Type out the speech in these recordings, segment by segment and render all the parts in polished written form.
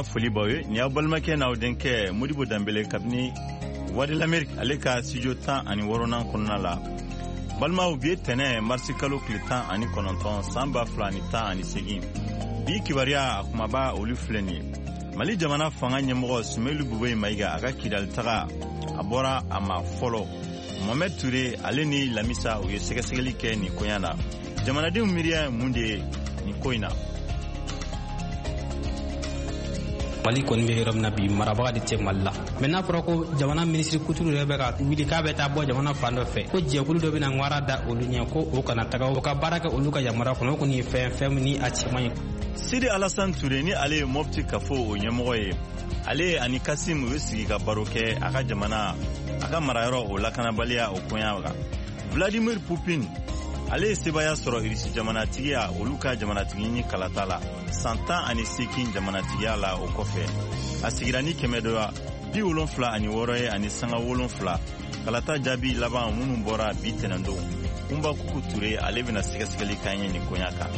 Foli b'aw ye. Nin y'aw balimakɛ n'aw denkɛ Modibo Danbele kabini Voix de l'Amérique, ale ka studio 16nan kɔnɔna la. Balimaw, bi ye tɛnɛ, marisi kalo tile 19, san 2018. Bi kibaruya a kumaba, olu filɛ nin ye: Mali jamana fanga ɲɛmɔgɔ Sumelu Bubɛyi Mayiga, a ka Kidali taga, a bɔra a ma fɔlɔ. Mohamɛd Ture, ale ni Lamisa, u ye sɛgɛsɛgɛli kɛ nin koɲa na. Jamanadenw miiriya ye mun de ye nin ko in na? Mali kɔni bɛ yɔrɔ min na bi, marabaga de tɛ Mali la. Mɛ n'a fɔra ko jamana minisiri kuturu yɛrɛ bɛ ka wuli k'a bɛ taa bɔ jamana fan dɔ fɛ, ko jɛkulu dɔ bɛna ŋwara da olu ɲɛ ko o kana taga, o ka baara kɛ olu ka yamaruya kɔnɔ, o kɔni ye fɛn fɛn min ni a cɛman ye. Sidi Alasan Ture, ni ale ye Mɔpti kafo o ɲɛmɔgɔ ye, ale ani Kasim, u ye sigi ka baro kɛ a ka jamana, a ka marayɔrɔ o lakanabaliya o koɲa kan. Vladimir Putin, ale ye sebaya sɔrɔ Irisi jamanatigiya, olu ka jamanatigi ɲini kalata la, san 18 jamanatigiya la. O kɔfɛ, a sigira ni kɛmɛ dɔya 76 ye ani sanga 7. Kalata jaabi laban minnu bɔra bi tɛnɛndon, Kunba Kuku Ture, ale bɛna sɛgɛsɛgɛli k'an ye nin koɲa kan.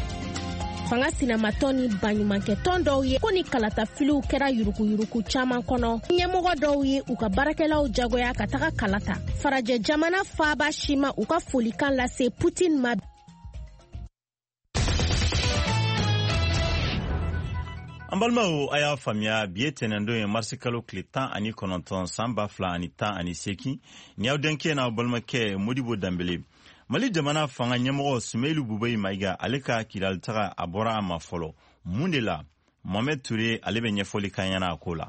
Fanga sinamatɔn ni baɲumankɛtɔn dɔw ye ko ni kalatafiliw kɛra yuruguyurugu caman kɔnɔ. Ɲɛmɔgɔ dɔw ye u ka baarakɛlaw jagoya ka taga kala ta. Farajɛ jamana faaba si ma u ka folikan lase Putin ma. An balimaw, a y'a faamuya, bi ye tɛnɛndon ye, marisi kalo tile 19, san 2018. Ni y'aw denkɛ n'aw balimakɛ Modibo Danbele. Mali jamana fanga ɲɛmɔgɔ Sumelu Bubayi Mayiga, ale ka Kidali taga, a bɔra a ma fɔlɔ. Mun de la? Mohamɛd Ture, ale bɛ ɲɛfɔli k'an ɲɛna a ko la.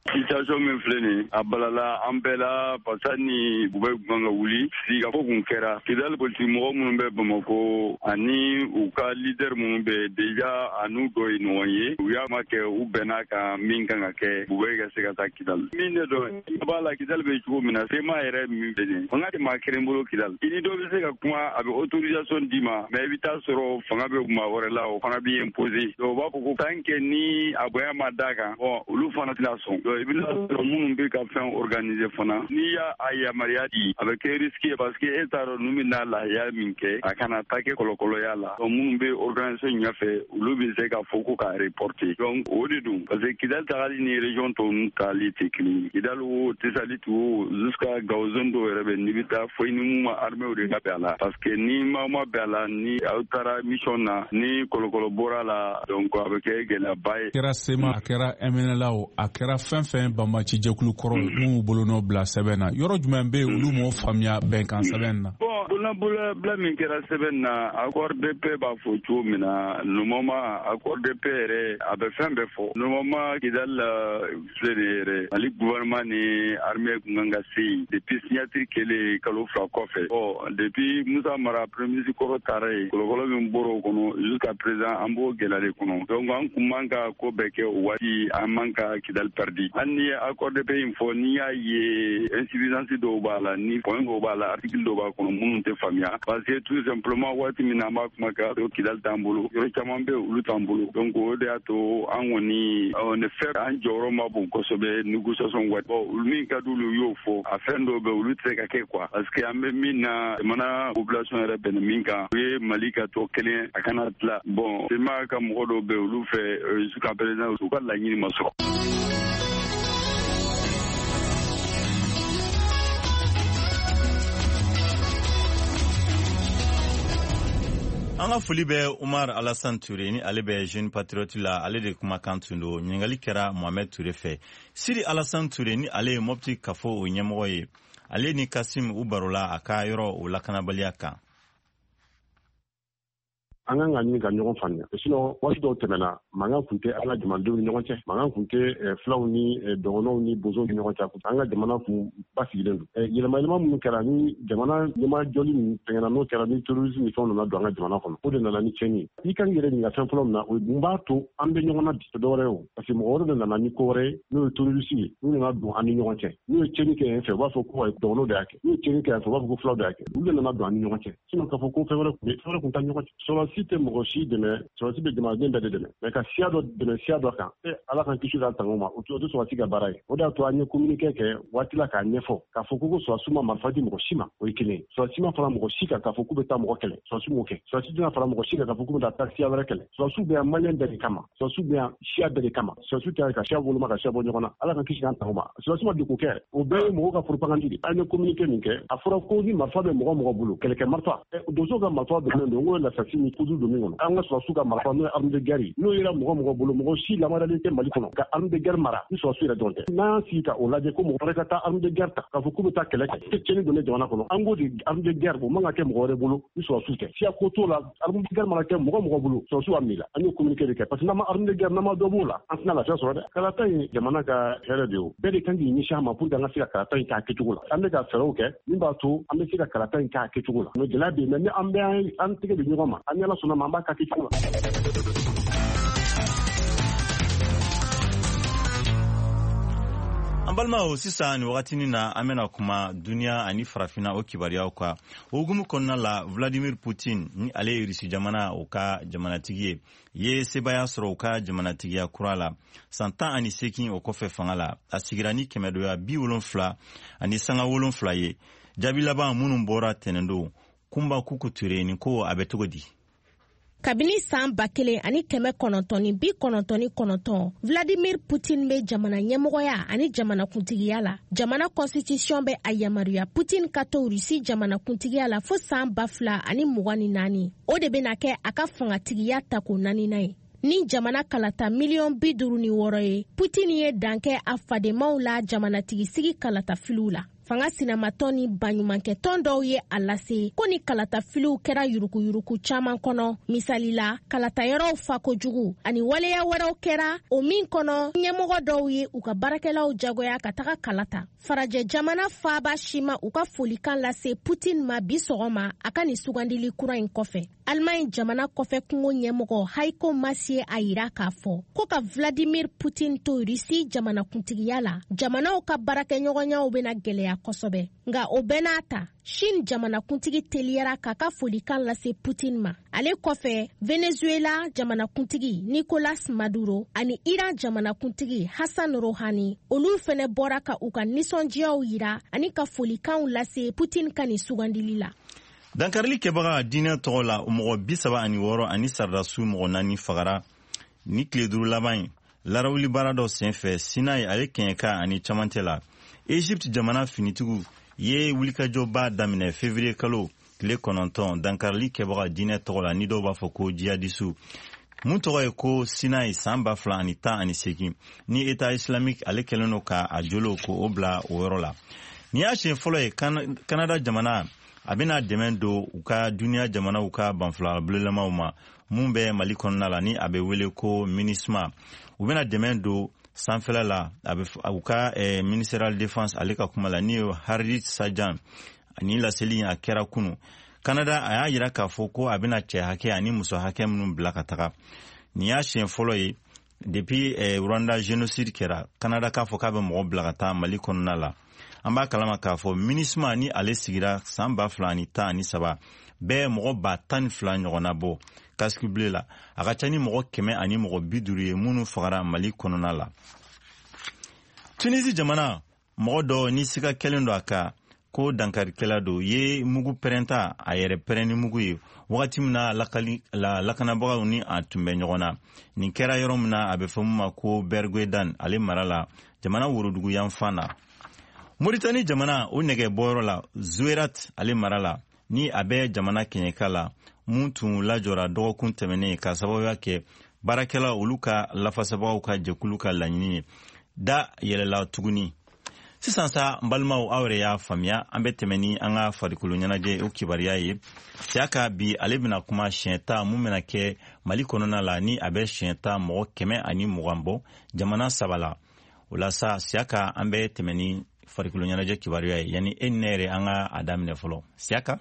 Situation min filɛ nin, a balala an bɛɛ la, parce ni Bubɛyi kun kan ka wuli, sigikafɔ kun kɛra. Kidali politiki mɔgɔ minnu bɛ Bamako ani u ka leader minnu bɛ déjà, a n'u dɔ ye ɲɔgɔn ye, u y'a ma kɛ, u bɛn'a kan min kan ka kɛ, Bubɛyi ka se ka taa Kidali. Min ne dɔn i b'a la, Kidali bɛ cogo min na, CMA yɛrɛ min filɛ nin, fanga tɛ maa kelen bolo Kidali. I ni dɔ bɛ se ka kuma, a bɛ autorisation d'i ma, mais i bɛ taa sɔrɔ fanga bɛ maa wɛrɛ la, o fana b'i imposer. Donc u b'a fɔ ko tant que ni a bonya ma d'a kan, bon, olu fana tɛna sɔn. Donc i bɛna sɔrɔ minnu bɛ ka fɛn organiser fana, n'i y'a a yamaruya di, a bɛ kɛ risque ye, parce que e t'a dɔn ninnu bɛna lahiya min kɛ, a kana taa kɛ kɔlɔkɔlɔya la. Donc minnu bɛ organisation ɲɛfɛ, olu bɛ se ka fɔ ko k'a reporter. Donc o de don, parce que Kidali tagali ni région tɔw ninnu taali tɛ kelen ye. Kidali o, Tesalit o, jusqu'à Gao zone dɔw yɛrɛ bɛ, n'i bɛ taa fo i ni mun ma armée de ka bɛn a la, parce que ni maaw ma bɛn a la, ni aw taara mission na, ni kɔlɔkɔlɔ bɔra la, donc a bɛ kɛ gɛlɛyaba ye. Kɛra CMA, a kɛra MNLA o, a kɛra fɛn fɛn banbaci jɛkulu kɔrɔ minnu bolonɔ bila sɛbɛn na, yɔrɔ jumɛn bɛ yen olu m'o faamuya bɛnkan sɛbɛn na? Bon, bolonɔbila min kɛra sɛbɛn na, accord de paix b'a fɔ cogo min na, normalement accord de paix yɛrɛ, a bɛ fɛn bɛɛ fɔ. Normalement Kidali la filɛ nin yɛrɛ, Mali gouvernement ni armée kun kan ka se yen depuis signature kɛlen kalo 2 kɔfɛ. Bon, depuis Musa Mara, premier ministre kɔrɔ, taara yen, kɔlɔkɔlɔ min bɔra o kɔnɔ, jusqu'à présent an b'o gɛlɛya de kɔnɔ. Donc an kun man ka ko bɛɛ kɛ o waati, an man ka Kidali perdi. Hali ni ye accord de paix in fɔ, n'i y'a ye insuffisance dɔw b'a la, ni point dɔw b'a la, article dɔw b'a kɔnɔ minnu tɛ faamuya, parce que tout simplement waati min na an b'a kuma kɛ, Kidali t'an bolo, yɔrɔ caman bɛ olu t'an bolo. Donc o de y'a to an kɔni, en effet, an jɔyɔrɔ ma bon kosɛbɛ négociation waati. Bon, olu min ka di olu y'o fɔ, a fɛn dɔw bɛ olu tɛ se ka kɛ quoi, parce que an bɛ min na, jamana population yɛrɛ bɛnna min kan, o ye Mali ka to kelen, a kana tila. Bon, CMA ka mɔgɔ dɔw bɛ olu fɛ, jusqu'à présent u ka laɲini ma sɔrɔ. An ka foli bɛ Umar Alasan Ture, ni ale bɛ Jeune Patriote la, ale de kumakan tun don. Ɲininkali kɛra Mohamɛd Ture fɛ. Sidi Alasan Ture, ni ale ye Mɔpti kafo o ɲɛmɔgɔ ye, ale ni Kasim, u barola a ka yɔrɔ o lakanabaliya kan. An kan ka ɲini ka ɲɔgɔn faamuya, sinon waati dɔw tɛmɛna, mankan kun tɛ an ka jamanadenw ni ɲɔgɔn cɛ, mankan kun tɛ filaw ni dɔgɔnɔw ni bozow ni ɲɔgɔn cɛ. An ka jamana kun basigilen don. Yɛlɛma yɛlɛma minnu kɛra ni jamana ɲɛmajɔli min fɛngɛna, n'o kɛra ni terrorisme ni fɛnw nana don an ka jamana kɔnɔ, o de nana ni tiɲɛni ye. I kan k'i yɛrɛ ɲininka fɛn fɔlɔ min na, o ye mun b'a to an bɛ ɲɔgɔn na bi? Tɛ dɔwɛrɛ ye o, parce que mɔgɔ wɛrɛ de nana ni ko wɛrɛ ye, n'o ye terroriste ye, n'u nana don an ni ɲɔgɔn cɛ. N'u ye tiɲɛni kɛ yen fɛ, u b'a fɔ ko dɔgɔnɔw de y'a kɛ. N'u ye tiɲɛni kɛ yan fɛ, u b'a fɔ ko filaw de y'a kɛ. Olu de nana don an ni ɲɔgɔn cɛ. Sinon k'a fɔ ko fɛn wɛrɛ kun bɛ, fɛn wɛrɛ kun t'a ɲɔgɔn cɛ. Sɔrɔdasi Sɔrɔdasi tɛ mɔgɔ si dɛmɛ, sɔrɔdasi bɛ jamanaden bɛɛ de dɛmɛ. Mais ka siya dɔ dɛmɛ siya dɔ kan, Ala k'an kisi k'an tanga o ma, o tɛ sɔrɔdasi ka baara ye. O de y'a to an ye communiqué kɛ waati la k'a ɲɛfɔ k'a fɔ ko sɔrɔdasiw ma marifa di mɔgɔ si ma, o ye kelen ye. Sɔrɔdasi ma fara mɔgɔ si kan k'a fɔ k'u bɛ taa mɔgɔ kɛlɛ, sɔrɔdasi m'o kɛ. Sɔrɔdasi tɛna fara mɔgɔ si kan k'a fɔ k'u bɛ taa siya wɛrɛ kɛlɛ. Sɔrɔdasiw bɛ yan maliyɛn bɛɛ de kama, sɔrɔdasiw bɛ yan siya bɛɛ de kama. Sɔrɔdasiw tɛ ka siya woloma ka siya bɔ ɲɔgɔn na, Ala k'an kisi k'an tanga o ma. Sɔrɔdasi ma degun kɛ, o bɛɛ ye mɔgɔw ka propagande de. An ye communiqué min kɛ, a fɔra ko ni marifa bɛ mɔgɔ mɔgɔ bolo, kɛlɛkɛ marifa, donso ka marifa donnen don, n ko lasasi ni kudu don min kɔnɔ. An ka sɔrɔdasiw ka marifa n'o ye arme de guerre ye, n'o yera mɔgɔ mɔgɔ bolo, mɔgɔ si lamaralen tɛ Mali kɔnɔ ka arme de guerre mara ni sɔrɔdasiw yɛrɛ dɔrɔn tɛ. N'an y'an sigi ka o lajɛ ko mɔgɔ wɛrɛ ka taa arme de guerre ta k'a fɔ k'u bɛ taa kɛlɛ kɛ, tɛ tiɲɛni don jamana kɔnɔ. An k'o de arme de guerre, o man ka kɛ mɔgɔ wɛrɛ bolo ni sɔrɔdasiw tɛ. Siya ko t'o la, arme de guerre mana kɛ mɔgɔ mɔgɔ bolo, sɔrɔdasiw b'a minɛ. An y'o communiqué de kɛ parce que n'an ma arme de guerre, n'an ma dɔ b'o la, an tɛna lafiya sɔrɔ dɛ. Kalata in jamana ka hɛrɛ de ye, o bɛɛ de kan k'i ɲɛsin a ma pour que an ka se ka kalata in k'a kɛcogo la. An bɛ ka fɛɛrɛw kɛ min b'a to an bɛ se ka kalata in k'a kɛcogo la. Mais gɛlɛya bɛ yen, mais ni an bɛ an tɛgɛ di ɲɔgɔn ma, an ni Ala sɔnna ma, an b'a k'a kɛcogo la. An balimaw, sisan nin wagatinin na, an bɛna kuma duniya ani farafinna o kibaruyaw kan. O hukumu kɔnɔna la, Vladimir Putin, ni ale ye Rusi jamana o ka jamanatigi ye, ye sebaaya sɔrɔ u ka jamanatigiya kura la san 18 o kɔfɛ fanga la. A sigira ni kɛmɛdoya 70.7 ye. Jaabi laban minnu bɔra tɛnɛndon, Kunba Kuku Ture, nin ko a bɛ cogo di? Kabini san 1999, Vladimir Putin bɛ jamana ɲɛmɔgɔya ani jamanakuntigiya la. Jamana constitution bɛ a yamaruya Putin ka to Rusi jamanakuntigiya la fo san 2024. O de bɛna kɛ a ka fangatigiya tako naaninan ye. Ni jamana kalata miliyɔn 56 ye, Putin ye dan kɛ a fadenmaw la jamanatigisigi kalatafiliw la. Fanga sinamatɔn ni baɲumankɛtɔn dɔw ye a lase ko ni kalatafiliw kɛra yurukuyuruku caman kɔnɔ. Misali la, kalatayɔrɔw fa kojugu ani waleya wɛrɛw kɛra o min kɔnɔ, ɲɛmɔgɔ dɔw ye u ka baarakɛlaw jagoya ka taga kalata. Farajɛ jamana faaba si ma u ka folikan lase Putin ma bi sɔgɔma a ka nin sugandili kura in kɔfɛ. Allemagne jamana kɔfɛ kungo ɲɛmɔgɔ Heiko Maas ye a yira k'a fɔ ko ka Vladimir Putin to Rusi jamanakuntigiya la, jamanaw ka baarakɛɲɔgɔnyaw bɛna gɛlɛya kosɛbɛ. Nka o bɛɛ n'a ta, Chine jamanakuntigi teliyara k'a ka folikan lase Putin ma. Ale kɔfɛ, Venezuela jamanakuntigi Nicolas Maduro ani Iran jamanakuntigi Hassan Rouhani, olu fɛnɛ bɔra ka u ka nisɔndiyaw yira ani ka folikanw lase Putin ka nin sugandili la. Dankarili kɛbaga diinɛ tɔgɔ la, mɔgɔ 36 ani sardasiw mɔgɔ 4 fagara ni tile 5 laban ye larawuli baara dɔ senfɛ Sinayi ale kɛɲɛka ani camancɛ la. Egypte jamana finitigiw ye wulikajɔba daminɛ février kalo tile 9 dankarili kɛbaga diinɛ tɔgɔ la, ni dɔw b'a fɔ ko jihadisiw, mun tɔgɔ ye ko Sinayi san 2018, ni État islamique ale kɛlen don ka a jolo ko o bila o yɔrɔ la. Nin y'a siɲɛ fɔlɔ ye Canada jamana a bɛna dɛmɛ don u ka duniya jamanaw ka banfula bulolamaw ma mun bɛ Mali kɔnɔna la, ni a bɛ wele ko MINUSMA. U bɛna dɛmɛ don sanfɛla la, a bɛ u ka ministériel défense ale ka kuma la, ni ye Harjit Sajjan. Ni laseli a kɛra kunu. Canada a y'a yira k'a fɔ ko a bɛna cɛ hakɛ ani muso hakɛ minnu bila ka taga. Nin y'a siɲɛ fɔlɔ ye depuis Rwanda génocide kɛra, Canada k'a fɔ k'a bɛ mɔgɔ bila ka taa Mali kɔnɔna la. An b'a kalama k'a fɔ MINUSMA ni ale sigira san 2013 bɛɛ mɔgɔ 12,000 ɲɔgɔnna bɔ casque bleu la. A ka ca ni mɔgɔ 150 ye minnu fagara Mali kɔnɔna la. Tunisi jamana mɔgɔ dɔ ni siga kɛlen don a kan ko dankarikɛla don, ye mugu pɛrɛnta a yɛrɛ pɛrɛn ni mugu ye wagati min na lakanabagaw ni a tun bɛ ɲɔgɔn na. Nin kɛra yɔrɔ min na, a bɛ fɔ min ma ko Berguedan ale mara la, jamana worodugu yanfan na. Moritani jamana o nɛgɛ bɔyɔrɔ la, Zouerat ale mara la, ni a bɛ jamana kɛɲɛka la, mun tun lajɔra dɔgɔkun tɛmɛnen ka sababuya kɛ baarakɛla olu ka lafasabagaw ka jɛkulu ka laɲini ye, da yɛlɛla tuguni. Sisan sa, n balimaw, aw yɛrɛ y'a faamuya, an bɛ tɛmɛ ni an ka farikolo ɲɛnajɛ o kibaruya ye. Siyaka bi ale bɛna kuma siɲɛ ta mun bɛna kɛ Mali kɔnɔna la, ni a bɛ siɲɛ ta mɔgɔ 120 bɔ jamana 3 la. O la sa, Siyaka, an bɛ tɛmɛ ni farikolo ɲɛnajɛ kibaruya ye. Yanni e ni ne yɛrɛ an ka a daminɛ fɔlɔ, Siyaka.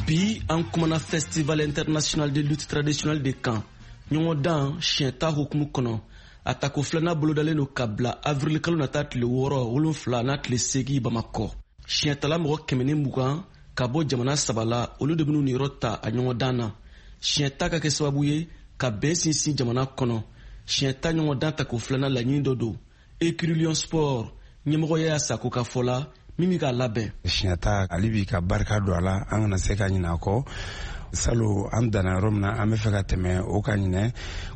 Bi an kumana Festival international de lutte traditionnelle de kan, ɲɔgɔndan siɲɛ ta hukumu kɔnɔ. A tako filanan bolodalen don ka bila avril kalo nata tile 6, 7 n'a tile 8 Bamakɔ. Siɲɛtala mɔgɔ 120 ka bɔ jamana 3 la, olu de bɛn'u niyɔrɔ ta a ɲɔgɔndan na. Siɲɛta ka kɛ sababu ye ka bɛn sinsin jamana kɔnɔ. Siɲɛta ɲɔgɔndan tako filanan laɲini dɔ don. Écurie Sport ɲɛmɔgɔ Yaya Sako ka fɔ la, min bɛ k'a labɛn. Siɲɛta ale b'i ka barika don a la, an kana se ka ɲinɛ a kɔ. Salo an danna yɔrɔ min na, an bɛ fɛ ka tɛmɛ o kan ɲinɛ.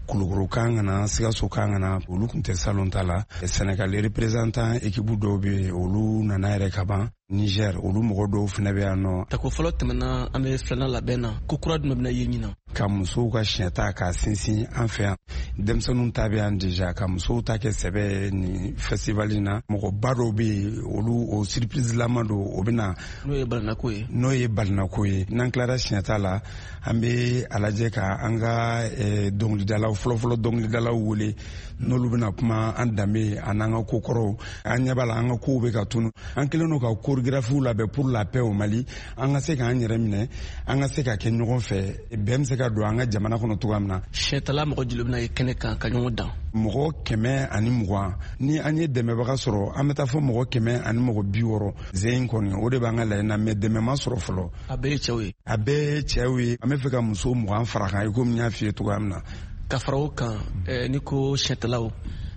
Kulukoro kan ka na, Sikaso kan ka na, olu tun tɛ salon ta la. Sénégal représentant équipe dɔw bɛ yen, olu nana yɛrɛ ka ban. Niger, olu mɔgɔ dɔw fana bɛ yan nɔ. Tako fɔlɔ tɛmɛna, an bɛ filanan labɛn na. Ko kura jumɛn bɛna ye ɲinan? Ka musow ka siɲɛta k'a sinsin an fɛ yan. Denmisɛnninw ta bɛ yan déjà, ka musow ta kɛ sɛbɛ ni festival in na. Mɔgɔba dɔw bɛ yen, olu o surprise lama don, o bɛ na. N'o ye balinako ye. N'o ye balinako ye. N'an tilara siɲɛta la, an bɛ a lajɛ ka an ka dɔnkilidalaw fɔlɔfɔlɔ dɔnkilidalaw wele, n'olu bɛna kuma an danbe an'an ka kokɔrɔw. An ɲɛ b'a la an ka kow bɛ ka tunu. An kɛlen don ka chorégraphiw labɛn pour la paix au Mali. An ka se k'an yɛrɛ minɛ, an ka se ka kɛ ɲɔgɔn fɛ, bɛn bɛ se ka don an ka jamana kɔnɔ cogoya min na. Siɲɛtala mɔgɔ joli bɛna ye kɛnɛ kan ka ɲɔgɔn dan? Mɔgɔ 120. Ni an ye dɛmɛbaga sɔrɔ, an bɛ taa fɔ mɔgɔ 160. Zen in kɔni, o de b'an ka laɲini na, mais dɛmɛ ma sɔrɔ fɔlɔ. A bɛɛ ye cɛw ye. A bɛɛ ye cɛw ye. An bɛ fɛ ka muso 20 fara kan, i komi n y'a f'i ye cogoya min na. Ka fara o kan, n'i ko siɲɛtalaw,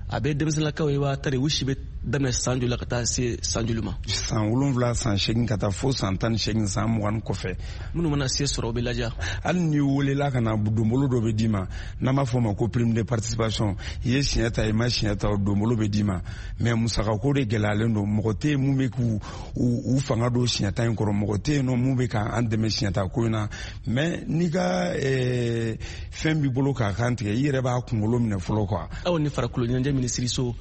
a bɛ denmisɛnninlakaw ye wa tari u si bɛ daminɛ san joli la ka taa se san joli ma? San 7, san 8 ka taa fo san 18, san 20 kɔfɛ. Minnu mana se sɔrɔ, o bɛ laja. Hali n'i welela ka na, donbolo dɔ bɛ d'i ma, n'an b'a fɔ o ma ko prime de participation. I ye siɲɛ ta, i ma siɲɛ ta, o donbolo bɛ d'i ma. Mais musakako de gɛlɛyalen don. Mɔgɔ tɛ yen mun bɛ k'u u fanga don siɲɛta in kɔrɔ, mɔgɔ tɛ yen nɔ mun bɛ k'an dɛmɛ siɲɛta ko in na. Mais n'i ka fɛn b'i bolo k'a kan tigɛ, i yɛrɛ b'a kunkolo minɛ fɔlɔ quoi. Aw ni farikolo ɲɛnajɛ minisiriso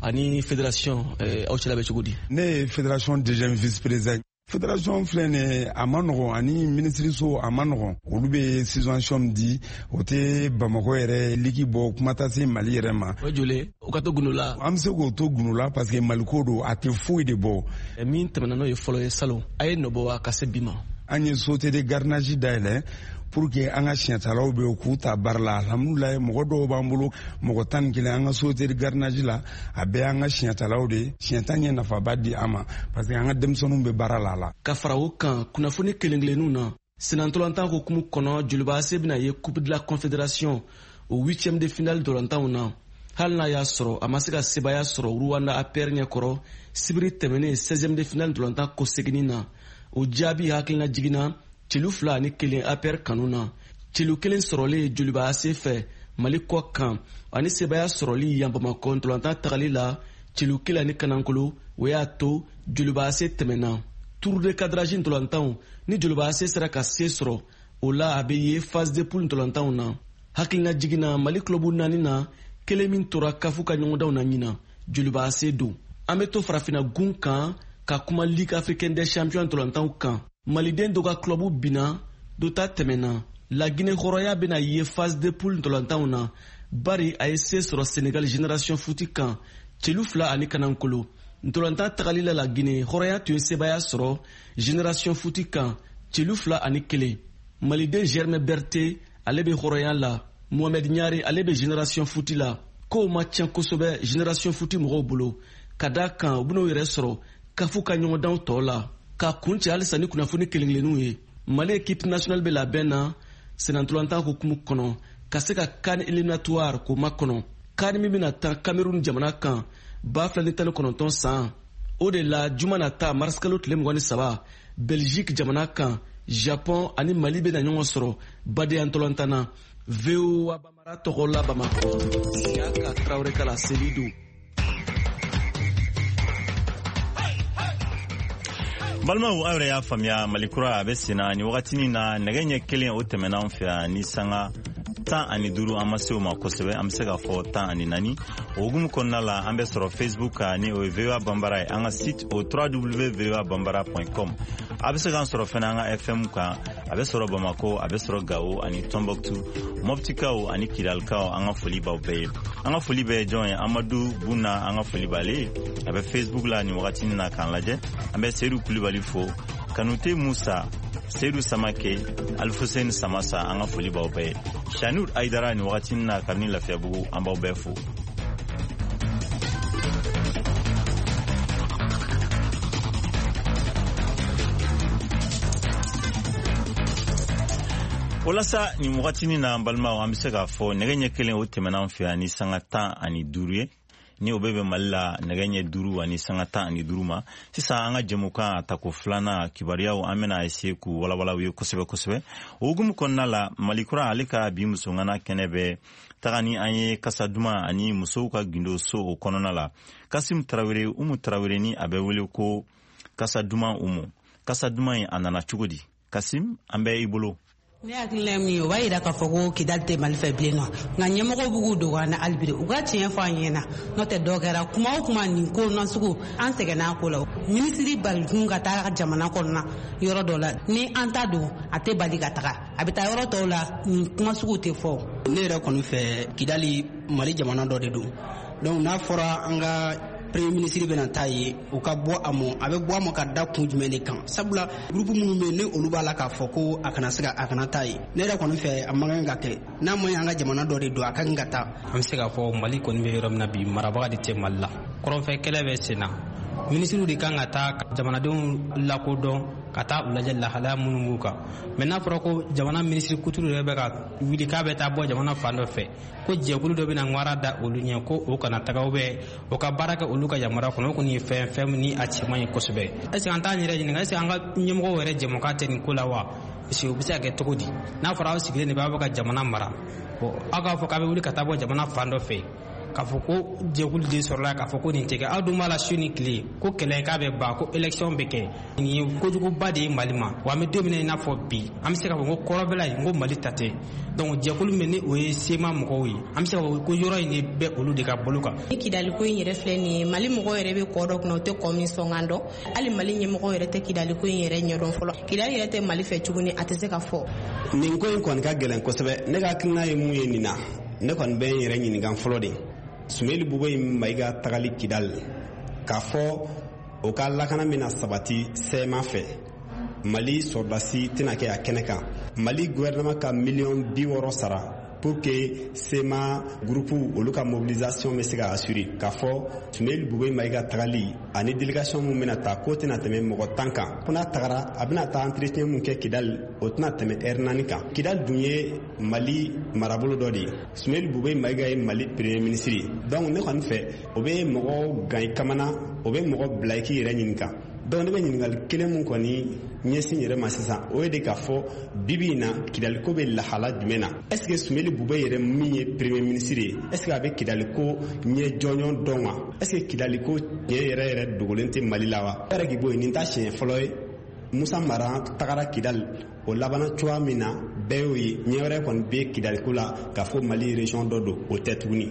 ani fédération, aw cɛla bɛ cogo di? Ne ye fédération deuxième vice président. Fédération filɛ nin ye, a ma nɔgɔn, ani minisiriso a ma nɔgɔn. Olu bɛ subvention di, o tɛ Bamakɔ yɛrɛ ligue bɔ, kuma tɛ se Mali yɛrɛ ma. O joli o ka to gundo la? An bɛ se k'o to gundo la parce que Maliko don, a tɛ foyi de bɔ. Min tɛmɛna n'o ye fɔlɔ ye salon, a ye nɔ bɔ wa ka se bi ma? An ye société de gardiennage dayɛlɛ pour que an ka siɲɛtalaw bɛ yen k'u ta baara la. Alhamdulilayi, mɔgɔ dɔw b'an bolo, mɔgɔ 11 an ka société de gardiennage la, a bɛɛ y'an ka siɲɛtalaw de ye. Siɲɛta ye nafaba di an ma parce que an ka denmisɛnninw bɛ baara la a la. Ka fara o kan, kunnafoni kelen kelenninw na, senna hukumu kɔnɔ, Joliba AC bɛna ye Coupe de la Confédération o huitième de finale dolantanw na, hali n'a y'a sɔrɔ a ma se ka sebaaya sɔrɔ Rwanda APR ɲɛkɔrɔ sibiri tɛmɛnen 16e de finale dolantan kɔseginni na. O jaabi hakilina jiginna celu 2-1 APR kanu na. Celu kelen sɔrɔlen Joliba AC fɛ Mali kɔ kan, ani sebaaya sɔrɔli yan Bamakɔ ntolantan tagali la celu 1 ani kanankolo, o y'a to Joliba AC tɛmɛna. Tour de cadrage ntolantanw ni Joliba AC sera ka se sɔrɔ o la, a bɛ ye phase de poule ntolantanw na. Hakilina jiginna, Mali club naani na, kelen min tora kafu ka ɲɔgɔndanw na ɲinan, Joliba AC don. An bɛ to farafinna gun kan ka kuma Ligue africaine des champions ntolantanw kan. Maliden dɔ ka club binna, dɔ ta tɛmɛna. Laginɛ hɔrɔnya bɛna ye phase de poule ntolantanw na, bari a ye se sɔrɔ Sénégal Génération Foot kan celu 2 ani kanankolo. Ntolantan tagali la, Laginɛ hɔrɔnya tun ye sebaaya sɔrɔ Génération Foot kan celu 2-1. Maliden Germain Berté, ale bɛ hɔrɔnya la. Mohamed Ɲare, ale bɛ Génération Foot la. Kow ma tiɲɛ kosɛbɛ Génération Foot mɔgɔw bolo, ka da kan u bɛn'u yɛrɛ sɔrɔ kafu ka ɲɔgɔndanw tɔ la. Ka kun cɛ halisa ni kunnafoni kelen kelenninw ye, Mali équipe nationale bɛ labɛn na sennantolantan hukumu kɔnɔ ka se ka CAN éliminatoire k'o makɔnɔ, CAN min bɛna tan Cameroun jamana kan 2019 san. O de la, juma nata marisikalo tile 23, Belgique jamana kan, Japon ani Mali bɛna ɲɔgɔn sɔrɔ badenya ntolantan na. VOA Bambara tɔgɔ la Bamakɔ, Siyaka Tarawele ka laseli don. Balimaw, aw yɛrɛ y'a faamuya, Mali kura a bɛ senna ni wagatinin na. Nɛgɛ ɲɛ 1 o tɛmɛna an fɛ yan ni sanga 15, an ma se o ma kosɛbɛ, an bɛ se k'a fɔ 14. O hukumu kɔnɔna la, an bɛ sɔrɔ Facebook kan ni o ye VOA Banbara ye, an ka site o www.voabambara.com. A bɛ se k'an sɔrɔ fɛnɛ an ka FM kan. A bɛ sɔrɔ Bamako, a bɛ sɔrɔ Gawo ani Tɔnbɔkutu. Mɔptikaw ani Kidalikaw, an ka foli b'aw bɛɛ ye. An ka foli bɛ jɔn ye? Amadu Buna, an ka foli b'ale ye, a bɛ Facebook la nin wagatinin na k'an lajɛ. An bɛ Seyidu Kulibali fo, Kanute Musa, Seyidu Samake, Alifuseni Samasa, an ka foli b'aw bɛɛ ye. Shanur Ayidara nin wagatinin na kabini Lafiyabugu, an b'aw bɛɛ fo. Walasa nin wagatinin na, an balimaw, an bɛ se k'a fɔ nɛgɛ ɲɛ 1 o tɛmɛna an fɛ yan ni sanga 15 ye, ni o bɛ bɛn Mali la nɛgɛ ɲɛ 5 ani sanga 15 ma. Sisan, an ka jɛmukan a tako filanan kibaruyaw, an bɛna essayer k'u walawala u ye kosɛbɛ kosɛbɛ. O hukumu kɔnɔna la, Mali Kura, ale ka bi musongana kɛnɛ bɛ taga ni an ye kasa duman ani musow ka gindo so o kɔnɔna la. Kasim Tarawele, Umu Tarawele, ni a bɛ wele ko Kasa Duman Umu, kasa duman in, a nana cogo di? Kasim, an bɛ i bolo. Ne hakilina ye min ye, o b'a yira k'a fɔ ko Kidali tɛ Mali fɛ bilen nɔ, nka ɲɛmɔgɔw b'u k'u dogo an na hali bi, u ka tiɲɛ fɔ an ɲɛna. N'o tɛ, dɔ kɛra kuma o kuma, nin ko nasugu, an sɛgɛnna a ko la. Minisiri balikun ka taa jamana kɔnɔna yɔrɔ dɔ la, ni an ta don, a tɛ bali ka taga, a bɛ taa yɔrɔ tɔw la, nin kuma sugu tɛ fɔ. Ne yɛrɛ kɔni fɛ, Kidali Mali jamana dɔ de don. Donc n'a fɔra an ka premier ministre bɛna taa ye, u ka bɔ a mɔ, a bɛ bɔ a ma ka da kun jumɛn de kan? Sabula groupe minnu bɛ yen, ni olu b'a la k'a fɔ ko a kana se ka a kana taa ye, ne yɛrɛ kɔni fɛ, a man kan ka kɛ. N'a ma ɲi, an ka jamana dɔ de don, a ka kan ka taa. An bɛ se k'a fɔ Mali kɔni bɛ yɔrɔ min na bi, marabaga de tɛ Mali la. Kɔrɔnfɛ kɛlɛ bɛ sen na, minisiriw de kan ka taa jamanadenw lakodɔn, ka taa u lajɛ lahalaya minnu b'u kan. Mɛ n'a fɔra ko jamana minisiri kuturu yɛrɛ bɛ ka wuli k'a bɛ taa bɔ jamana fan dɔ fɛ, ko jɛkulu dɔ bɛna ŋwara da olu ɲɛ ko o kana taga, bɛ o ka baara kɛ olu ka yamaruya kɔnɔ, o kɔni ye fɛn fɛn ni a cɛ man ɲi kosɛbɛ. Est ce que an t'an yɛrɛ ɲininka, est ce que an ka ɲɛmɔgɔw yɛrɛ jɛmukan tɛ nin ko la wa? Parce que o bɛ se ka kɛ cogo di, n'a fɔra aw sigilen de bɛ, aw bɛ ka jamana mara, bon, aw k'a fɔ k'a bɛ wuli ka taa bɔ jamana fan dɔ fɛ, k'a fɔ ko jɛkulu de sɔrɔla, k'a fɔ ko nin tɛ kɛ, aw dun b'a la su ni tile ko kɛlɛ k'a bɛ ban, ko élection bɛ kɛ, nin ye kojuguba de ye Mali ma. Wa an bɛ don min na i n'a fɔ bi, an bɛ se k'a fɔ ko kɔrɔbɛla in, ko Mali ta tɛ. Donc jɛkulu min, ni o ye CMA mɔgɔw ye, an bɛ se k'a fɔ ko yɔrɔ in de bɛ olu de ka bolo kan. Ni Kidaliko in yɛrɛ filɛ nin ye, Mali mɔgɔw yɛrɛ bɛ kɔ dɔ kunna, o tɛ kɔ min sɔngan dɔn. Hali Mali ɲɛmɔgɔw yɛrɛ tɛ Kidaliko in yɛrɛ ɲɛdɔn fɔlɔ. Kidali yɛrɛ tɛ Mali fɛ tuguni, a tɛ se ka fɔ. Nin ko in kɔni ka gɛlɛn kosɛbɛ. Ne ka hakilina ye mun ye nin na, ne kɔni bɛ n yɛrɛ ɲininka fɔlɔ de, Sumeli Bubɛyi Mayiga tagali Kidali, k'a fɔ o ka lakana bɛna sabati CMA fɛ, Mali sɔrɔdasi tɛna kɛ a kɛnɛ kan, Mali gouvernement ka miliyɔn 60 sara pour que CMA groupe olu ka mobilisation bɛ se ka assurer, k'a fɔ Sumeli Bubɛyi Mayiga tagali ani délégation mun bɛna ta, k'o tɛna tɛmɛ mɔgɔ 10 kan, ko n'a tagara, a bɛna taa entretien mun kɛ Kidali, o tɛna tɛmɛ heure 4 kan. Kidali dun ye Mali marabolo dɔ de ye, Sumeli Bubɛyi Mayiga ye Mali premier ministre ye. Donc ne kɔni fɛ, o bɛ mɔgɔ gan i kamana, o bɛ mɔgɔ bila i k'i yɛrɛ ɲininka. Donc ne bɛ ɲininkali kelen mun kɔni ɲɛsin yɛrɛ ma sisan, o ye de k'a fɔ bibi in na, Kidaliko bɛ lahala jumɛn na? Est ce que Sumeli Bubɛyi yɛrɛ min ye premier ministre ye, est ce que a bɛ Kidaliko ɲɛ jɔnjɔn dɔn wa? Est ce que Kidaliko tiɲɛ yɛrɛ yɛrɛ dogolen tɛ Mali la wa? Yɛrɛ k'i bɔ yen, nin t'a siɲɛ fɔlɔ ye. Musa Mara tagara Kidali, o labanna cogoya min na, bɛɛ y'o ye. Ɲɛ wɛrɛ kɔni bɛ Kidaliko la k'a fɔ Mali région dɔ don, o tɛ tuguni.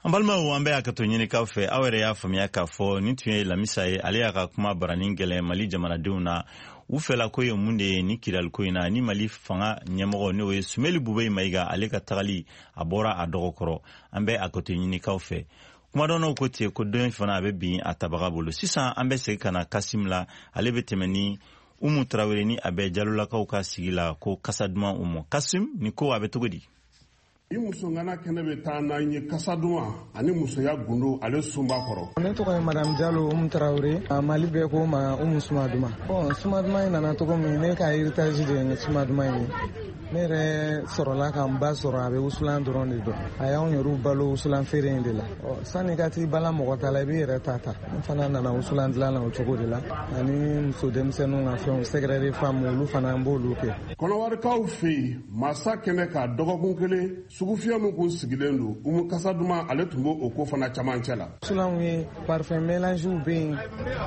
An balimaw, an bɛ hakɛto ɲinikaw fɛ. Aw yɛrɛ y'a faamuya k'a fɔ nin tun ye Lamisa ye. Ale y'a ka kuma baranin gɛlɛn Mali jamanadenw na. U fɛla ko ye mun de ye ni Kidaliko in na, ni Mali fanga ɲɛmɔgɔ, n'o ye Sumeli Bubɛyi Mayiga, ale ka tagali, a bɔra a dɔgɔkɔrɔ. An bɛ hakɛto ɲinikaw fɛ. Kumadɔnnaw ko ten ko don fana a bɛ bin a tabaga bolo. Sisan, an bɛ segin ka na Kasim la. Ale bɛ tɛmɛ ni Umu Tarawele, ni a bɛ Jalolakaw ka sigi la, ko kasa duman Umu. Kasim, nin ko a bɛ cogo di? Ni musongana kɛnɛ bɛ taa n'an ye kasa duman ani musoya gundo, ale sunba kɔrɔ. Ne tɔgɔ ye Madame Jalo Umu Tarawele, Mali bɛɛ ko ma Umu Suma Duman. Bon, Suma Duman in nana cogo min, ne ka héritage de ye Suma Duman ye. Ne yɛrɛ sɔrɔla ka n ba sɔrɔ, a bɛ wusulan dɔrɔn de dɔn. A y'anw yɛrɛw balo wusulan feere in de la. Ɔ, sani ka t'i bala mɔgɔ ta la, i b'i yɛrɛ ta ta. N fana nana wusulan dilan na o cogo de la, ani muso denmisɛnninw ka fɛnw, secret de femme, olu fana, n b'olu kɛ. Kɔnɔwarikaw fɛ yen, masa kɛnɛ ka dɔgɔkun kelen, sugufiyɛ min kun sigilen don, Umu Kasa Duman, ale tun b'o o ko fana camancɛ la. Wusulanw ye parfum mélangew bɛ yen,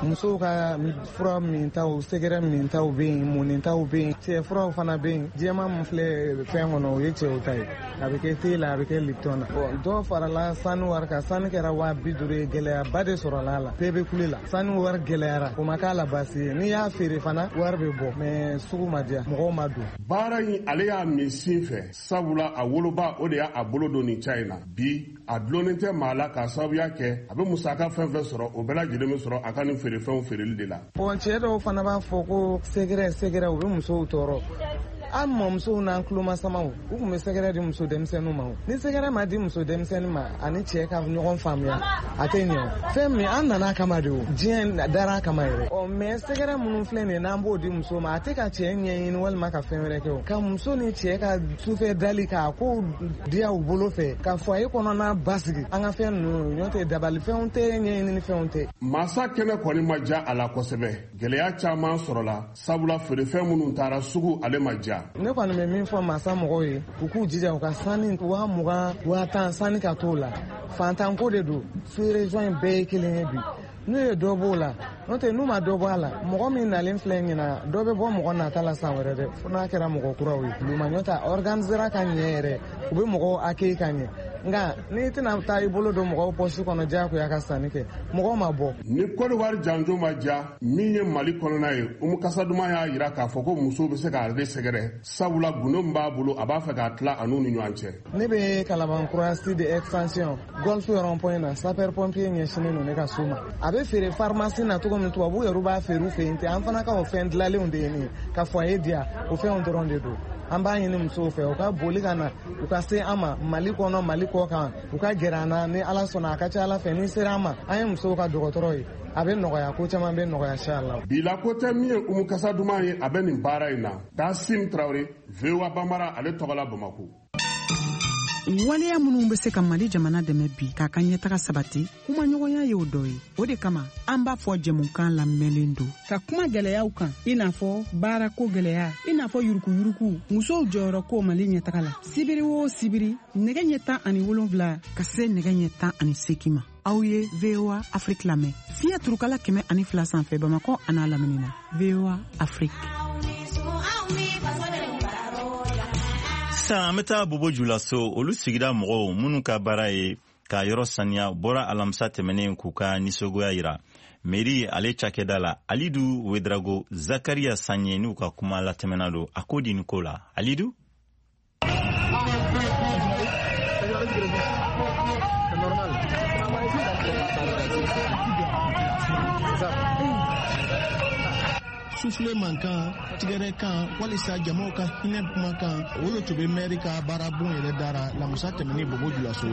musow ka fura mintaw, secret mintaw bɛ yen, munitaw bɛ yen, cɛ furaw fana bɛ yen. Jɛman min filɛ fɛn kɔnɔ, o ye cɛw ta ye. A bɛ kɛ te la, a bɛ kɛ Lipton na. Bon, dɔw farala sanu wari kan, sanu kɛra 50 000 ye. Gɛlɛyaba de sɔrɔla a la, bɛɛ bɛ kule la. Sanu wari gɛlɛyara, o ma k'a la baasi ye. N'i y'a feere fana, wari bɛ bɔ, mais sugu ma diya, mɔgɔw ma don. Baara in, ale y'a min sin fɛ, sabula a woloba, o de y'a bolo don nin ca in na. Bi, a dulonnen tɛ maa la, k'a sababuya kɛ a bɛ musaka fɛn fɛn sɔrɔ, o bɛɛ lajɛlen bɛ sɔrɔ a ka nin feerefɛnw feereli de la. Bon, cɛ dɔw fana b'a fɔ ko secret secret, u bɛ musow tɔɔrɔ. An mɔmusow n'an tulomasamaw, u tun bɛ sɛgɛrɛ di muso denmisɛnninw ma. Ni sɛgɛrɛ ma di muso denmisɛnnin ma ani cɛ ka ɲɔgɔn faamuya, a tɛ ɲɛ o. Fɛn min an nana kama de o, diɲɛ dara kama yɛrɛ. Ɔ mais sɛgɛrɛ minnu filɛ nin ye, n'an b'o di muso ma, a tɛ ka cɛ ɲɛɲini walima ka fɛn wɛrɛ kɛ o. Ka muso ni cɛ ka sufɛ dali k'a ko diya u bolo fɛ, ka foyer kɔnɔna basigi, an ka fɛn ninnu ɲɔ tɛ, dabalifɛnw tɛ, ɲɛɲinini fɛnw tɛ. Masa kɛnɛ kɔni ma diya a la kosɛbɛ. Gɛlɛya caman sɔrɔla, sabula feerefɛn minnu taara sugu, ale ma diya. Ne kɔni bɛ min fɔ masa mɔgɔw ye, u k'u jija u ka sanni 20,000, 10,000 sanni ka t'o la. Fantanko de don, sous-région in bɛɛ ye kelen ye bi. N'u ye dɔ b'o la, n'o tɛ n'u ma dɔ bɔ a la, mɔgɔ min nalen filɛ ɲina, dɔ bɛ bɔ mɔgɔ nata la san wɛrɛ dɛ, fo n'a kɛra mɔgɔ kuraw ye. Lumaɲɔ ta organisera ka ɲɛ yɛrɛ, u bɛ mɔgɔw accueillir ka ɲɛ. Nka n'i tɛna taa i bolo don mɔgɔw pɔsi kɔnɔ diyagoya ka sanni kɛ, mɔgɔw ma bɔ. Ni Kɔdiwari janjo ma diya min ye Mali kɔnɔna ye, Umu Kasaduma y'a yira k'a fɔ ko musow bɛ se k'ale sɛgɛrɛ, sabula gundo min b'a bolo, a b'a fɛ k'a tila a n'u ni ɲɔgɔn cɛ. Ne bɛ Kalabankura sud extension golf rond point na, sapeur pompier ɲɛsinnen don ne ka so ma. A bɛ feere pharmacie na cogo min, tubabu yɛrɛ b'a feere u fɛ yen ten, an fana ka o fɛn dilanlenw de ye nin ye ka foyer diya, o fɛnw dɔrɔn de don. An b'a ɲini musow fɛ, u ka boli ka na, u ka se an ma Mali kɔnɔ, Mali kɔ kan, u ka gɛrɛ an na. Ni Ala sɔnna, a ka ca Ala fɛ, ni sera an ma, an ye musow ka dɔgɔtɔrɔ ye, a bɛ nɔgɔya, ko caman bɛ nɔgɔya inchallah. Bila ko tɛ min ye Umu Kasaduma ye, a bɛ nin baara in na. Kasim Tarawele, VOA Bambara, ale tɔgɔ la Bamako. Waleya minnu bɛ se ka Mali jamana dɛmɛ bi k'a ka ɲɛtaga sabati, kumaɲɔgɔnya y'o dɔ ye. O de kama an b'a fɔ jɛmukan lamɛnlen don ka kuma gɛlɛyaw kan, i n'a fɔ baarako gɛlɛya, i n'a fɔ yurukuyuruku, musow jɔyɔrɔ ko Mali ɲɛtaga la. Sibiri o sibiri, nɛgɛ ɲɛ 17 ka se nɛgɛ ɲɛ 18 ma, aw ye VOA Afrique lamɛn fiɲɛ turukala 102 sanfɛ Bamakɔ an'a lamini na. VOA Afrique. Sisan an bɛ taa Bobo Julaso. Olu sigida mɔgɔw minnu ka baara ye ka yɔrɔ saniya bɔra alamisa tɛmɛnen k'u ka nisɔngoya yira mairie ale cakɛda la. Alidu Wedrago, Zakaria Sanye n'u ka kuma latɛmɛna don a ko di nin ko la. Alidu. Sufule mankan, tigɛrɛ kan walisa jamaw ka hinɛ kumakan, o le tun bɛ mɛri ka baarabon yɛrɛ dara lamusa tɛmɛni Bobo Julaso.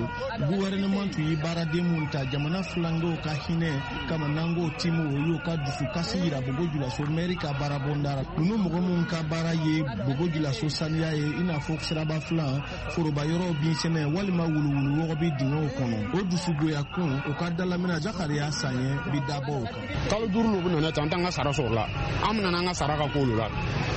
Gouvernement tun ye baaraden mun ta jamana filangew ka hinɛ kama, n'an timu, o y'o ka dusukasi yira Bobo Julaso mɛri ka baarabon dara. Ninnu mɔgɔ minnu ka baara ye Bobo Julaso saniya ye, i n'a fɔ siraba filan, foroba yɔrɔw, binsɛnɛ walima wuluwulu wɔgɔbi dingɛw kɔnɔ, o dusugoya kun o ka dalamina Zakariya Sanyɛ bi dabɔ o kan. Kalo 5 lo bɛ nana tan, an t'an ka sara sɔrɔ la. An bɛna n'an ka sara ka k'olu la,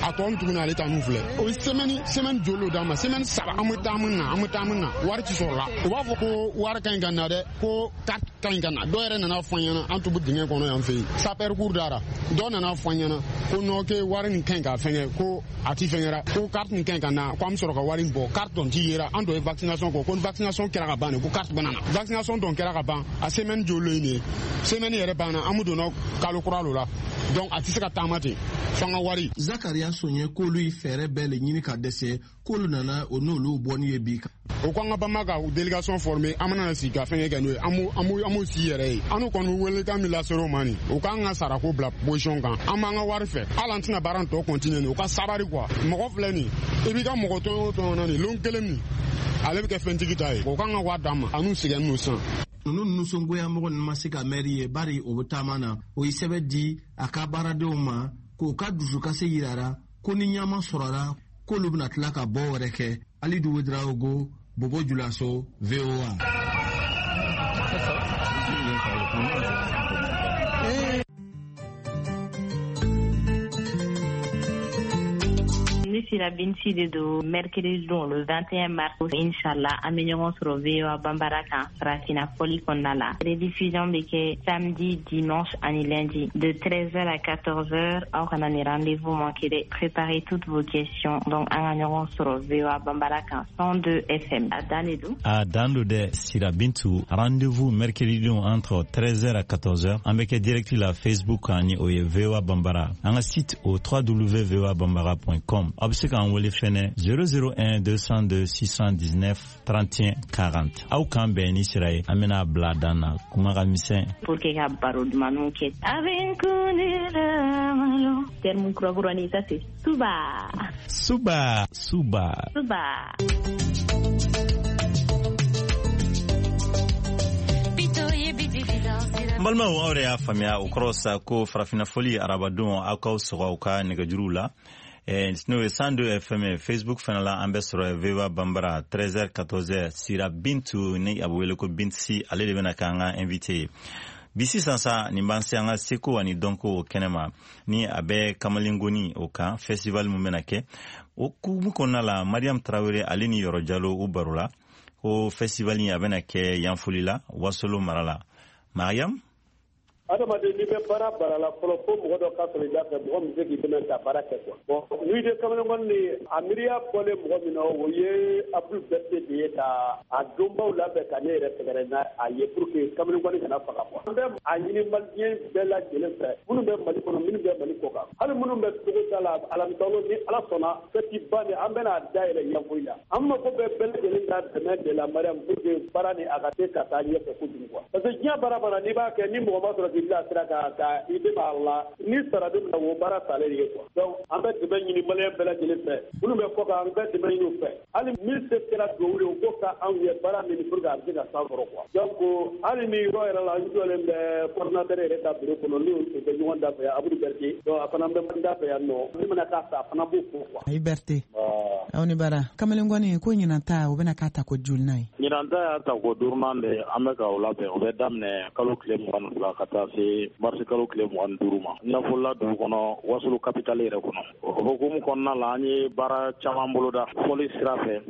a tɔ tuguni ale ta n'u filɛ. O ye semaine joli lo d'an ma? Semaine 3. An bɛ taa, an bɛ na, an bɛ taa, an bɛ na, wari ti sɔrɔ la. U b'a fɔ ko wari ka ɲi ka na dɛ, ko carte ka ɲi ka na. Dɔw yɛrɛ nana fɔ an ɲɛna, an tun bɛ dingɛ kɔnɔ yan fɛ yen, sapeur cour dara, dɔw nana fɔ an ɲɛna ko non, ke wari nin ka ɲi ka fɛngɛ, ko a ti fɛngɛra, ko carte nin ka ɲi ka na, ko an bɛ sɔrɔ ka wari in bɔ. Carte dɔn ti yera. An dɔ ye vaccination kɔ, ko ni vaccination kɛra ka ban de, ko carte bɛ na. Vaccination dɔn kɛra ka ban, a semaine joli ye nin ye? Semaine yɛrɛ banna, an bɛ donna kalo kura lo la, donc a tɛ se ka taama ten f'an ka wari. Zakaria Sonye k'olu ye fɛɛrɛ bɛɛ le ɲini ka dɛsɛ, k'olu nana o n'olu bɔ ni ye bi. O ko an ka banba ka délégation former, an bɛna sigi ka fɛngɛ kɛ n'o ye, an b'o sigi yɛrɛ ye. An n'u kɔni welekan min lasera o ma nin, o k'an ka sarako bila position kan, an b'an ka wari fɛ. Hali an tɛna baara tɔ continuer nin, o ka sabari quoi. Mɔgɔ filɛ nin, i b'i ka mɔgɔ tɔɲɔ o tɔɲɔ na nin, lon kelen min ale bɛ kɛ fɛntigi ta ye, o k'an ka wari d'an ma, an n'u sɛgɛnnen don sisan. Ninnu nisɔngoya mɔgɔ ninnu ma se ka mɛri ye, bari o bɛ taama na. O ye sɛbɛn di a ka baaradenw ma k'o ka dusukasi yirara ko ni ɲama sɔrɔla, k'olu bɛna tila ka bɔ wɛrɛ kɛ. Alidu Wedraogo, Bobo Julaso, VOA. Ne sira Binti de don. Mercredi don, le 21 mars, inchallah, an bɛ ɲɔgɔn sɔrɔ VOA Bambara kan farafinna fɔli kɔnɔna la. Rediffusion bɛ kɛ samedi, dimanche ani lundi de 13h à 14h. Aw kana ni rendez-vous manquer dɛ. Préparez toutes vos questions. Donc an ka ɲɔgɔn sɔrɔ VOA Bambara kan 102 FM. A dan de don. A dan don dɛ, Sira Bintu. Rendez-vous mercredi don entre 13h à 14h. An bɛ kɛ direct la Facebook kan, ni o ye VOA Bambara. An ka site o www.voabambara.com. Aw bɛ se k'an wele fɛnɛ 001 202 619 31 40. Aw k'an bɛn ni sira ye, an bɛna bila dan na kuma ka misɛn pour que ka baro dumanniw kɛ. A bɛ n kun de la malo. Terme kura kurani, ça c'est suba. Suba, suba. Suba. N balimaw, aw de y'a faamuya, o kɔrɔ sa ko farafinna fɔli arabadon, aw k'aw sɔgɔ aw ka nɛgɛjuruw la, n'o ye 102 FM. Facebook fana la, an bɛ sɔrɔ VOA Bambara, 13h 14h. Sira Bintu, ni a bɛ wele ko Binti, ale de bɛna k'an ka invité ye bi. Sisan sa, nin b'an se an ka seko ani dɔnko o kɛnɛ ma, ni a bɛ kamalengoni o kan, festival min bɛna kɛ. O hukumu kɔnɔna la, Mariam Tarawele, ale ni Yɔrɔ Jalo, u baro la ko festival in a bɛna kɛ Yanfoli la, Wasolo mara la. Mariam? Adamaden, n'i bɛ baara baara la fɔlɔ, fo mɔgɔ dɔ ka sɔrɔ i da fɛ, mɔgɔ min bɛ se k'i dɛmɛ ka baara kɛ quoi. Bon, nuit de kamalenkɔni ni a miiriya bɔlen mɔgɔ min na, o ye Abdou Berté de ye, ka a donbaw labɛn ka ne yɛrɛ sɛgɛrɛ n'a a ye pour que kamalenkɔni kana faga quoi. An bɛ a ɲini maliyɛn bɛɛ lajɛlen fɛ, minnu bɛ Mali kɔnɔ, minnu bɛ Mali kɔ kan, hali minnu bɛ togoda la, alamisalon, ni Ala sɔnna, fête ba nin, an bɛna a dayɛlɛ Yanfoyi la. An mako bɛ bɛɛ lajɛlen ka dɛmɛ de la, Mariam, pour que baara nin a ka se ka taa ɲɛfɛ kojugu quoi, parce que diɲɛ baara baara, n'i b'a kɛ, ni mɔgɔ ma sɔrɔ k'i bila sira kan ka i dɛmɛ a la, ni sara don min na, o baara salen ye quoi. Donc an bɛ dɛmɛ ɲini maliyɛn bɛɛ lajɛlen fɛ, minnu bɛ kɔ kan, an bɛ dɛmɛ ɲini u fɛ, hali min se kɛra duwawu ye, u k'o ka anw ye baara min pour que a bɛ se ka san sɔrɔ quoi. Donc hali ni yɔrɔ yɛrɛ la, n jɔlen bɛ coordinateur yɛrɛ ka bureau kɔnɔ, n'o o bɛ ɲɔgɔn da fɛ yan, Abudu Berté. Donc a fana bɛ n da fɛ yan nɔ, min mana k'a fɛ, a fana b'o fɔ quoi. Ayi Berté, aw ni bara. Kamalenkɔni ko ɲinan ta, o bɛna k'a ta ko jolina ye? Ɲinan ta y'a ta ko duurunan de, an bɛ ka o labɛn. O bɛ daminɛ kalo tile 22 ka taa se marisi kalo tile 25 ma, Ɲafolila dugu kɔnɔ, Wasolo capitale yɛrɛ kɔnɔ. O hukumu kɔnɔna la, an ye baara caman boloda fɔli sira fɛ,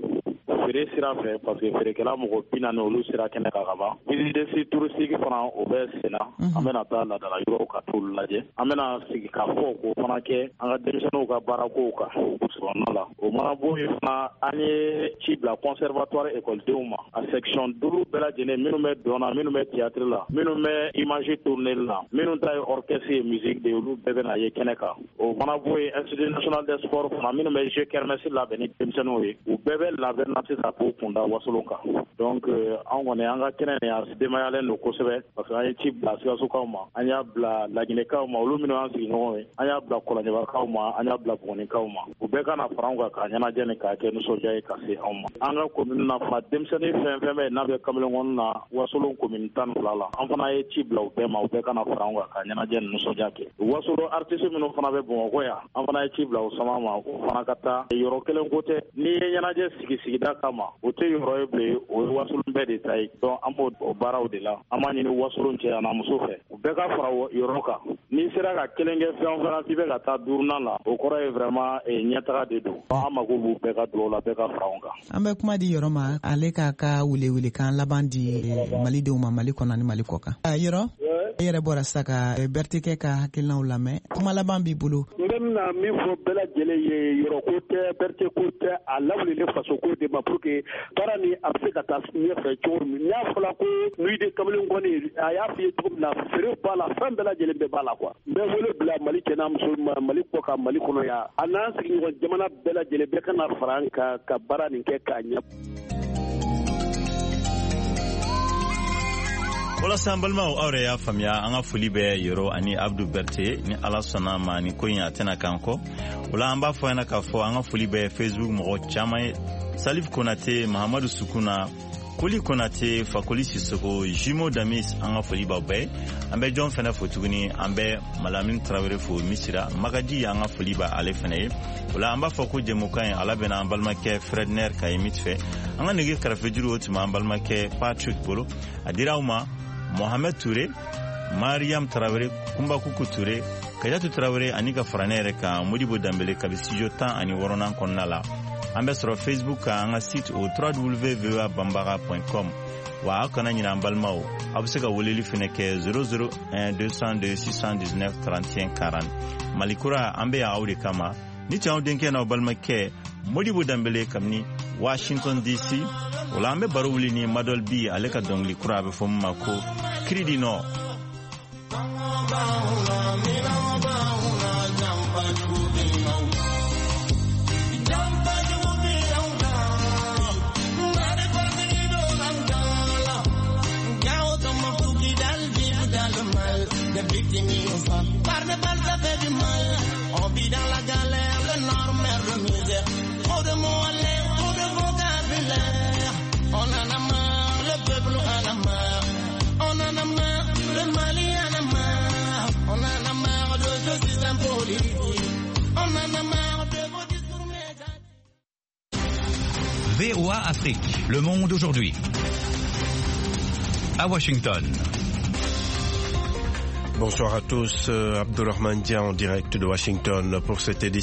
feere sira fɛ, parce que feerekɛla mɔgɔ 40, olu sera kɛnɛ kan ka ban. Visite touristique fana, o bɛ sen na. An bɛna taa laadala yɔrɔw ka t'olu lajɛ. An bɛna sigi ka fɔ k'o fana kɛ an ka denmisɛnninw ka baarakow kan burusikɔnɔna la. O mana bɔ yen fana, an ye ci bila conservatoire ekɔlidenw ma, a section duuru bɛɛ lajɛlen, minnu bɛ dɔn na, minnu bɛ théâtre la, minnu bɛ image tourner la, minnu ta ye orchestre ye, musique de, olu bɛɛ bɛna ye kɛnɛ kan. O mana bɔ yen, Institut national des sports fana, minnu bɛ jeu kermesse labɛn ni denmisɛnninw ye, u bɛɛ bɛ labɛn na sisan k'u kunda Wasolon kan. Donc an kɔni, an ka kɛnɛ nin, a denbayalen don kosɛbɛ, parce que an ye ci bila Sikasokaw ma, an y'a bila Laginɛkaw ma, olu minnu y'an sigiɲɔgɔnw ye, an y'a bila Kɔlɔnjɛbakaw ma, an y'a bila Bugунikaw ma. U bɛɛ ka na fara anw kan k'a ɲɛnajɛ ni k'a kɛ nisɔndiya ye ka se anw ma. An ka commune na fana, denmisɛnnin fɛn fɛn bɛ yen n'a bɛ kamalenkɔni na, Wasolon commune 12 la, an fana ye ci bila u bɛɛ ma, u bɛɛ ka na fara anw kan k'a ɲɛnajɛ ni nisɔndiya kɛ. Wasolon artiste minnu fana bɛ Bamakɔ yan, an fana ye ci bila o sama ma, o fana ka taa. Yɔrɔ kelen ko tɛ, n'i ye ɲɛnajɛ sigi sigida kama, o tɛ yɔrɔ ye bilen, o ye Wasolon bɛɛ de ta ye. Donc an b'o baaraw de la. An b'a ɲini Wasolon cɛ an'a muso fɛ, u bɛɛ ka fara yɔrɔ kan. N'i sera ka kelen kɛ fɛn o fɛn na k'i bɛ ka taa duurunan la, o kɔrɔ ye vraiment ɲɛtaga de don. An mako b'u bɛɛ ka dugawu la, bɛɛ ka fara anw kan. An bɛ kuma di Yɔrɔ ma, ale k'a ka welewelekan laban di malidenw ma, Mali kɔnɔ ni Mali kɔ kan. Yɔrɔ, e yɛrɛ bɔra sisan ka Bertekɛ ka hakilinaw lamɛn, kuma laban b'i bolo? N bɛ bɛna min fɔ bɛɛ lajɛlen ye, yɔrɔ ko tɛ, Berté ko tɛ, a lawulelen faso ko de ma, pour que baara ni a bɛ se ka taa ɲɛfɛ cogo min. N'a fɔra ko nuit de kamalenkɔni, a y'a f'i ye cogo min na, feere b'a la, fɛn bɛɛ lajɛlen bɛɛ b'a la quoi. N bɛ wele bila Mali cɛ n'a muso ma, Mali kɔ kan, Mali kɔnɔ yan, a n'an sigiɲɔgɔn jamana bɛɛ lajɛlen, bɛɛ ka na fara an kan ka baara nin kɛ k'a ɲɛ. Walasa an balimaw, aw yɛrɛ y'a faamuya, an ka foli bɛ Yɔrɔ ani Abdu Berte. Ni Ala sɔnna ma, ni ko in a tɛna k'an kɔ. O la, an b'a fɔ ɲɛna k'a fɔ an ka foli bɛ Facebook mɔgɔ caman ye: Salif Konate, Mahamadu Sukuna, Koli Konate, Fakoli Sisoko, Jimo Damis, an ka foli b'aw bɛɛ. An bɛ jɔn fɛnɛ fo tuguni? An bɛ Malamine Tarawele fo Misira Magaji, an ka foli b'a ale fɛnɛ ye. O la, an b'a fɔ ko jɛmukan ye ala bɛna an balimakɛ Fredner Kayimit fɛ. An ka nɛgɛ karafejuru, o tun b'an balimakɛ Patrick bolo. A dira aw ma Mohamed Touré, Mariam Tarawele, Kunbakuku Touré, Kajatu Tarawele, ani ka fara ne yɛrɛ kan, Modibo Danbele, kabi studio 16nan kɔnɔna la. An bɛ sɔrɔ Facebook kan, an ka site o www.voabambara.com. Wa aw kana ɲinɛ, an balimaw, aw bɛ se ka weleli fɛnɛ kɛ 001 202 619 31 40. Mali kura, an bɛ yan aw de kama. Ni cɛw denkɛ n'aw balimakɛ Modibo Danbele kabini Washington DC. O la, an bɛ baro wuli ni Madɔl Bi, ale ka dɔnkili kura, a bɛ fɔ min ma ko Cri du Nord. VOA Afrique, le monde aujourd'hui. À Washington. Bonsoir à tous, Abdourahmane Dia en direct de Washington pour cette édition.